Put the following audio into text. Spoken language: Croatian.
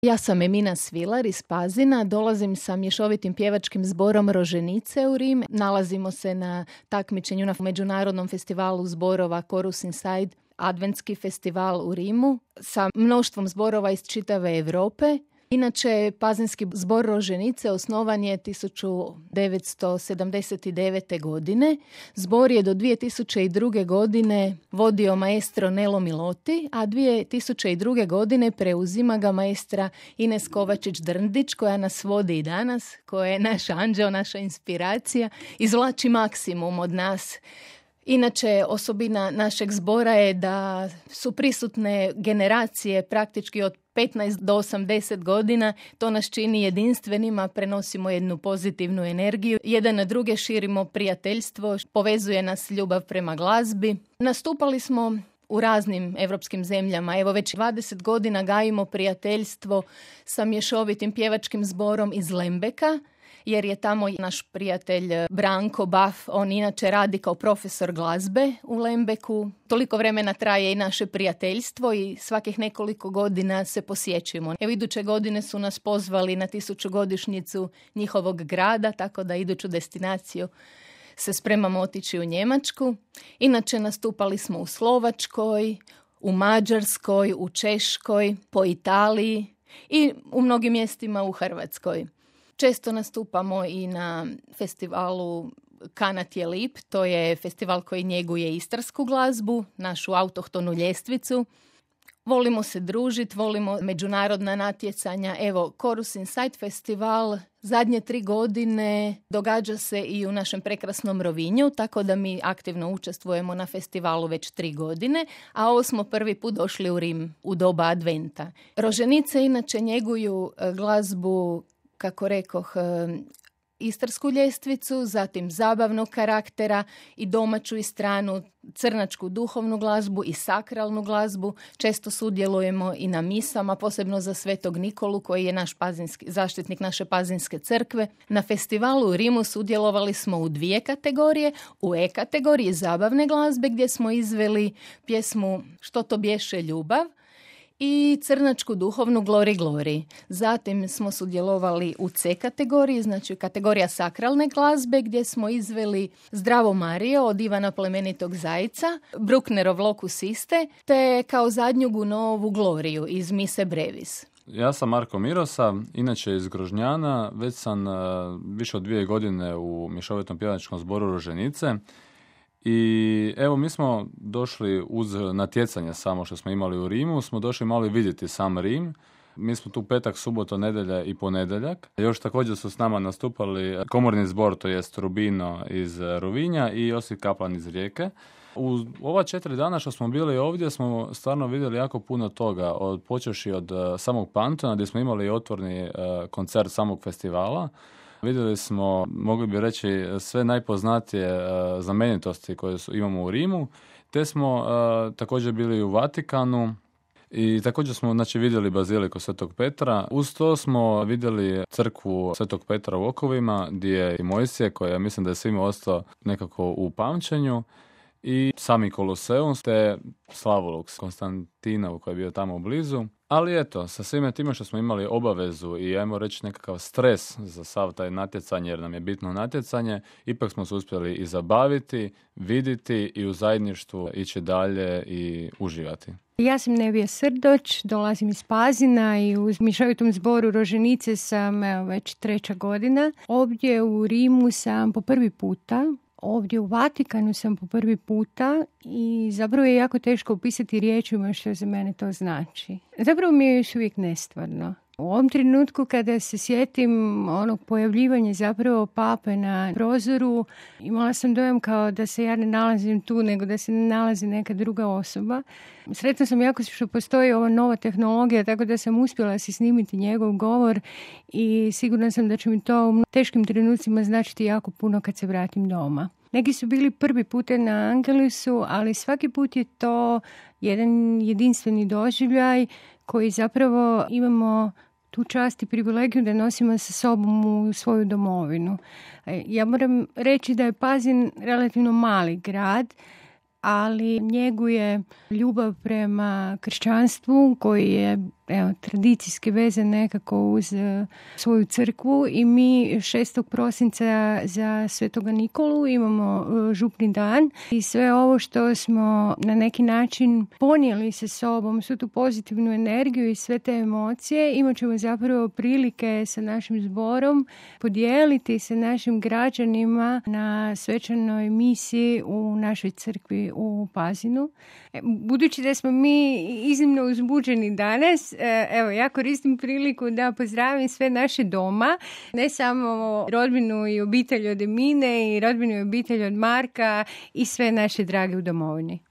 Ja sam Emina Svilar iz Pazina, dolazim sa mješovitim pjevačkim zborom Roženice u Rim. Nalazimo se na takmičenju na Međunarodnom festivalu zborova Chorus Inside, adventski festival u Rimu, sa mnoštvom zborova iz čitave Europe. Inače, Pazinski zbor Roženice osnovan je 1979. godine. Zbor je do 2002. godine vodio maestro Nelo Miloti, a 2002. godine preuzima ga maestra Ines Kovačić-Drndić, koja nas vodi i danas, koja je naš anđeo, naša inspiracija, izvlači maksimum od nas. Inače, osobina našeg zbora je da su prisutne generacije praktički od 15 do 80 godina. To nas čini jedinstvenima, prenosimo jednu pozitivnu energiju. Jedan na druge širimo prijateljstvo, povezuje nas ljubav prema glazbi. Nastupali smo u raznim evropskim zemljama. Evo već 20 godina gajimo prijateljstvo sa mješovitim pjevačkim zborom iz Lembeka, jer je tamo naš prijatelj Branko Baf, on inače radi kao profesor glazbe u Lembeku. Toliko vremena traje i naše prijateljstvo i svakih nekoliko godina se posjećujemo. Evo, iduće godine su nas pozvali na 1000-godišnjicu njihovog grada, tako da iduću destinaciju se spremamo otići u Njemačku. Inače, nastupali smo u Slovačkoj, u Mađarskoj, u Češkoj, po Italiji i u mnogim mjestima u Hrvatskoj. Često nastupamo i na festivalu Kanat je lip, to je festival koji njeguje istarsku glazbu, našu autohtonu ljestvicu. Volimo se družiti, volimo međunarodna natjecanja. Evo, Chorus Inside festival zadnje 3 godine događa se i u našem prekrasnom Rovinju, tako da mi aktivno učestvujemo na festivalu već 3 godine, a ovo smo prvi put došli u Rim u doba adventa. Roženice inače njeguju glazbu, kako rekoh, istarsku ljestvicu, zatim zabavnog karaktera i domaću i stranu crnačku duhovnu glazbu i sakralnu glazbu. Često sudjelujemo i na misama, posebno za Svetog Nikolu, koji je naš zaštitnik naše Pazinske crkve. Na festivalu u Rimu sudjelovali smo u 2 kategorije. U E kategoriji zabavne glazbe, gdje smo izveli pjesmu Što to bješe ljubav i crnačku duhovnu Glori Glori. Zatim smo sudjelovali u C kategoriji, znači kategorija sakralne glazbe, gdje smo izveli Zdravo Marijo od Ivana Plemenitog Zajca, Brucknerov Locus Iste, te kao zadnju Gunovu Gloriju iz Mise Brevis. Ja sam Marko Mirosa, inače iz Grožnjana, već sam više od 2 godine u mješovitom pjevačkom zboru Roženice. I evo, mi smo došli uz natjecanje samo što smo imali u Rimu, smo došli malo vidjeti sam Rim. Mi smo tu petak, subota, nedjelja i ponedjeljak. Još također su s nama nastupali komorni zbor, to jest Rubino iz Rovinja i Josip Kaplan iz Rijeke. U ova 4 dana što smo bili ovdje smo stvarno vidjeli jako puno toga, počevši od samog Pantona gdje smo imali otvorni koncert samog festivala. Vidjeli smo, mogli bi reći, sve najpoznatije znamenitosti koje imamo u Rimu, te smo također bili u Vatikanu i također smo vidjeli baziliku Svetog Petra. Uz to smo vidjeli crkvu Svetog Petra u Okovima, gdje je i Mojsije, koja mislim da je svima ostao nekako u pamćenju, i sami Koloseum, te Slavoluk Konstantinov koji je bio tamo blizu. Ali eto, sa svime time što smo imali obavezu i ajmo reći nekakav stres za sav taj natjecanje, jer nam je bitno natjecanje, ipak smo se uspjeli i zabaviti, vidjeti i u zajedništvu ići dalje i uživati. Ja sam Nevija Srdoć, dolazim iz Pazina i u mješovitom zboru Roženice sam već 3. godina. Ovdje u Rimu sam po prvi puta. Ovdje u Vatikanu sam po prvi puta i zapravo je jako teško opisati riječima što za mene to znači. Zapravo mi je još uvijek nestvarno. U ovom trenutku kada se sjetim onog pojavljivanja zapravo pape na prozoru, imala sam dojam kao da se ja ne nalazim tu, nego da se ne nalazi neka druga osoba. Sretna sam jako što postoji ova nova tehnologija, tako da sam uspjela si snimiti njegov govor i sigurna sam da će mi to u teškim trenucima značiti jako puno kad se vratim doma. Neki su bili prvi puta na Angelusu, ali svaki put je to jedan jedinstveni doživljaj koji zapravo imamo tu čast i privilegiju da nosimo sa sobom u svoju domovinu. Ja moram reći da je Pazin relativno mali grad, ali njeguje ljubav prema kršćanstvu koji je tradicijski vezan nekako uz svoju crkvu i mi 6. prosinca za Svetoga Nikolu imamo župni dan i sve ovo što smo na neki način ponijeli sa sobom, svu tu pozitivnu energiju i sve te emocije, imat ćemo zapravo prilike sa našim zborom podijeliti sa našim građanima na svečanoj misiji u našoj crkvi u Pazinu. Budući da smo mi iznimno uzbuđeni danas, evo, ja koristim priliku da pozdravim sve naše doma, ne samo rodbinu i obitelj od Emine i rodbinu i obitelj od Marka i sve naše drage u domovini.